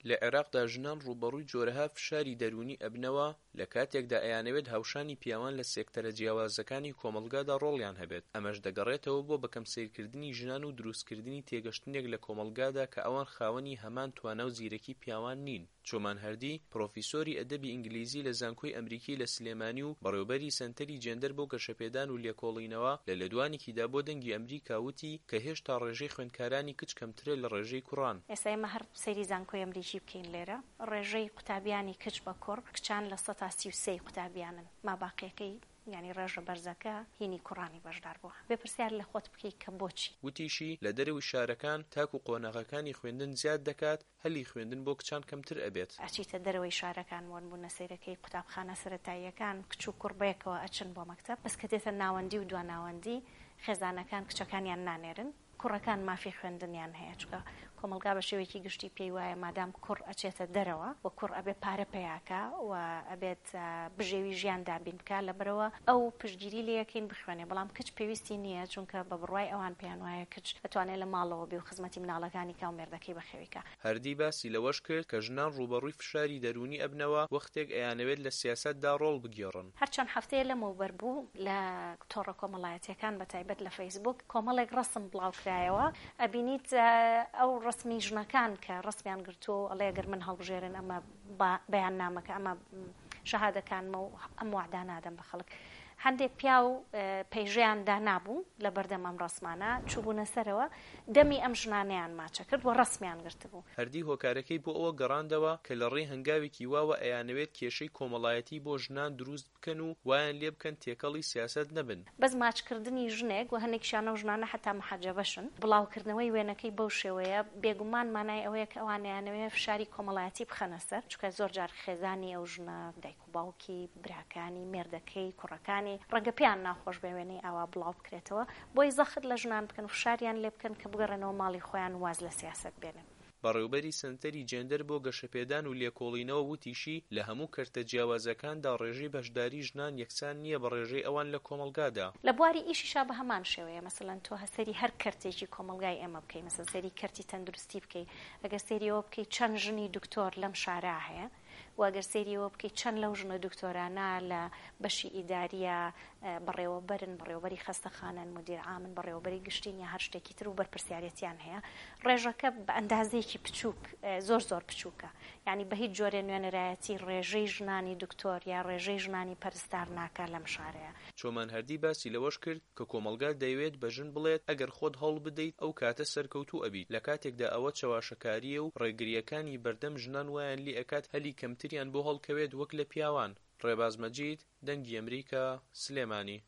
لە عێراقدا ژنان ڕووبەڕووی جۆرەها فشاری دەروونی ئەبنەوە لە کاتێکدا ئەیانەوێت هاوشانی پیاوان لە سێکتەرە جیاوازەکانی کۆمەڵگادا ڕۆڵیان هەبێت، ئەمەش دەگەڕێتەوە بۆ بەکەم سەیرکردنی ژنان و دروستکردنی تێگەشتنێک لە کۆمەڵگادا کە ئەوان خاوەنی هەمان توانا و زیرەکی پیاوان نین. چۆمان هەردی، پڕۆفیسۆری ئەدەبی ئینگلیزی لە زانکۆی ئەمریکی لە سلێمانی و بەڕێوبەری سەنتەری جێندەر بۆ گەشەپێدان و لێکۆڵینەوە، لە لێدوانێکیدا بۆ دەنگی ئەمریکا وتی کە هێشتا ڕێژەی خوێندکارانی کچ کەمترە لە ڕێژەی کوڕان. ئێستا ئێمە هەر سەیری زانکۆی ئەمریکی بکەین لێرە ڕێژەی قوتابیانی کچ بە کوڕ، کچان 33% ی قوتابیانن، ماباقیەکەی یانی ڕێژە بەرزەکە هینی کوڕانی بەشدار بووە. بێ پرسیار لە خۆت بکەی کە بۆچی؟ وتیشی، لە دەرەوەی شارەکان تاکو قۆناغەکانی خوێندن زیاد دەکات، هەلی خوێندن بۆ کچان کەمتر ئەبێت. ئەچیتە دەرەوەی شارەکان بۆنموونە سەیرەکەی قوتابخانە سەرەتاییەکان کچ و کوڕ بەیەکەوە ئەچن بۆ مەکتەب، بەس کە دێتە ناوەندی و دواناوەندی خێزانەکان کچەکانیان نانێرن. کوڕەکان مافی خوێندنیان هەیە، چونکە کۆمەڵگا بە شێوەیەکی گشتی پێی وایە مادام کوڕ ئەچێتە دەرەوە و کوڕ ئەبێ پارە پەیا کا و ئەبێت بژێوی ژیان دابین بکا لەبەرئەوە ئەو پشتگیری لێ ئەکەین بخوێنێ بەڵام کچ پێویستی نییە چونکە بە بڕوای ئەوان پێیان وایە کچ ئەتوانێ لە ماڵەوە بێ و خزمەتی مناڵەکانی کا و مێردەکەی بەخێوی کا. هەردی باسی لەوەش کرد کە ژنان ڕووبەڕووی فشاری دەروونی ئەبنەوە وەختێک ئەیانەوێت لە سیاسەتدا ڕۆڵ بگێڕن. هەر چەند هەفتەیە لەمەوبەر بوو لە تۆڕە کۆمەڵایەتیەکان بە تایبەت لە فەیسبوک کۆمەڵێک ڕەسم بڵاوکرایەوە ئەبینیت ئەو ڕەسمی ژنەکان کە ڕەسمیان گرتووە و ئەڵێ گەر من هەڵبژێرن ئەمە بەیاننامەکە ئەمە شەهادەکانمە و ئەم وەعدانە ئەدەم بە خەڵک هەندێک پیاو پەیژەیان دانابوو لە بەردەم ئەم ڕەسمانە چووبوونە سەرەوە دەمی ئەم ژنانەیان ماچە کرد و ڕەسمیان گرتبوو. هەردی هۆکارەکەی بۆ ئەوە گەڕاندەوە کە لە ڕێی هەنگاوێکی واوە ئەیانەوێت کێشەی کۆمەڵایەتی بۆ ژنان دروست بکەن و وایان لێ بکەن تێکەڵی سیاسەت نەبن. بەس ماچکردنی ژنێک و هەنێکیشیان ئەو ژنانە حەتا محەجەبەشن، بڵاوکردنەوەی وێنەکەی بەو شێوەیە بێگومان مانای ئەوەیە کە ئەوان ئەیانەوێ فشاری کۆمەڵایەتی بخەنە سەر، چونکە زۆر جار خێزانی ئەو ژنە، دایک و باوکی، براکانی، مێردەکەی، کوڕەکانی، ڕەنگە پێیان ناخۆش بێ وێنەی ئاوا بڵاو بکرێتەوە، بۆی زەخت لە ژنان بکەن و فشاریان لێ بکەن کە بگەڕێنەوە ماڵی خۆیان و واز لە سیاسەت بێنن. بەڕێوبەری سەنتەری جێندەر بۆ گەشەپێدان و لێکۆڵینەوە وتیشی، لە هەموو کەرتە جیاوازەکاندا ڕێژەی بەشداری ژنان یەکسان نییە بە ڕێژەی ئەوان لە کۆمەڵگادا. لە بواری ئیشیشا بە هەمان شێوەیە، مەسەلەن تۆ سەیری هەر کەرتێکی کۆمەڵگای ئێمە بکەی، مەسەلەن سەیری کەرتی تەندروستی بکەی، ئەگەر سەیری ئەوە بکەی چەند ژنی دکتۆر لەم شارە هەیە و ئەگەر سەیری ئەوە بکەی چەند لەو ژنە دکتۆرانە لە بەشی ئیدارییە بەڕێوەبەرن، بەڕێوەبەری خەستەخانەن، مودیر عامن، بەڕێوەبەری گشتین یا هەر شتێکی تر و بەرپرسیارێتیان هەیە، ڕێژەکە بە ئەندازەیەکی بچووک زۆر زۆر بچووکە. یانی بە هیچ جۆرێ نوێنەرایەتی ڕێژەی ژنانی دکتۆر یا ڕێژەی ژنانی پەرستار ناکا لەم شارەیا. چۆمان هەردی باسی لەوەش کرد کە کۆمەڵگا دەیەوێت بە ژن بڵێت ئەگەر خۆت هەوڵ بدەیت ئەو کاتە سەرکەوتوو ئەبیت، لە کاتێکدا ئەوە چەواشەکارییە و ڕێگرییەکانی بەردەم ژنان وایان لێ ئەکات هەلی کەمتریان بۆ هەڵکەوێت وەک لە پیاوان. ڕێباز مەجید، دەنگی ئەمریکا، سلێمانی.